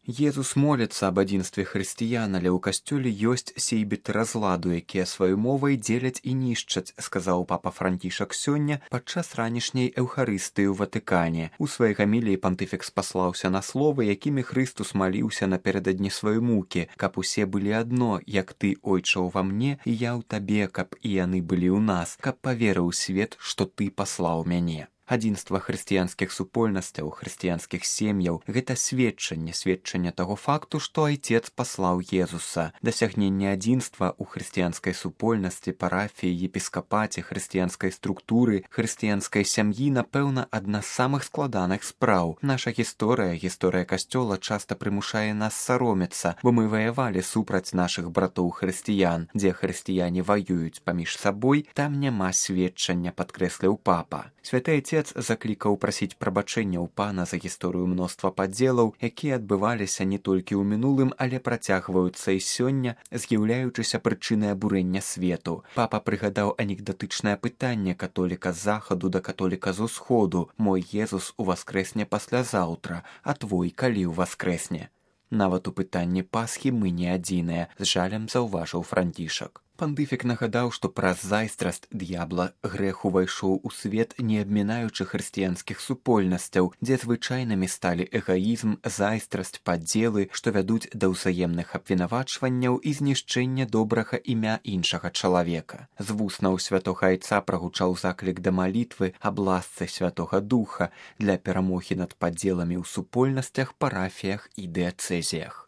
Езус моліцца аб адзінстве хрысціян, але ў касцёле ёсць сейбіты разладу, якія сваёй мовай дзеляць і нішчаць, сказаў папа Францішак сёння падчас ранішняй эўхарыстыі ў Ватыкане. У сваёй гаміліі пантыфік спаслаўся на словы, якімі Хрыстус маліўся напярэдадні сваёй мукі, каб усе былі адно, як ты, ойча, ува мне, і я ў табе, каб і яны былі ў нас, каб паверыў свет, што ты паслаў мяне. Адзінства хрысціянскіх супольнасцяў, хрысціянскіх сем'яў – гэта сведчанне таго факту, што Айцец паслаў Езуса. Дасягненне адзінства ў хрысціянскай супольнасці, парафіі, епіскапаце, хрысціянскай структуры, хрысціянскай сям'і, напэўна, адна з самых складаных спраў. Наша гісторыя касцёла часта прымушае нас саромецца, бо мы ваявалі супраць нашых братоў-хрысціян. Дзе хрысціяне ваююць паміж сабой, там няма сведчання, падкрэсліў папа. Святы Айцец заклікаў прасіць прабачэння ў пана за гісторыю мноства падзелаў, якія адбываліся не толькі ў мінулым, але працягваюцца і сёння, з'яўляючыся прычынай абурэння свету. Папа прыгадаў анекдатычнае пытанне католіка з захаду да католіка з усходу: «Мой Езус уваскрэсне паслязаўтра, а твой калі ўваскрэсне?» Нават у пытанні Пасхі мы не адзіныя, з жалем заўважыў Францішак. Пантыфік нагадаў, што праз зайздрасць д'ябла грэх увайшоў у свет, не абмінаючы хрысціянскіх супольнасцяў, дзе звычайнымі сталі эгаізм, зайздрасць, падзелы, што вядуць да ўзаемных абвінавачванняў і знішчэння добрага імя іншага чалавека. З вуснаў святога Айца прагучаў заклік да малітвы аб ласцы Святога Духа для перамогі над падзеламі ў супольнасцях, парафіях і дыяцэзіях.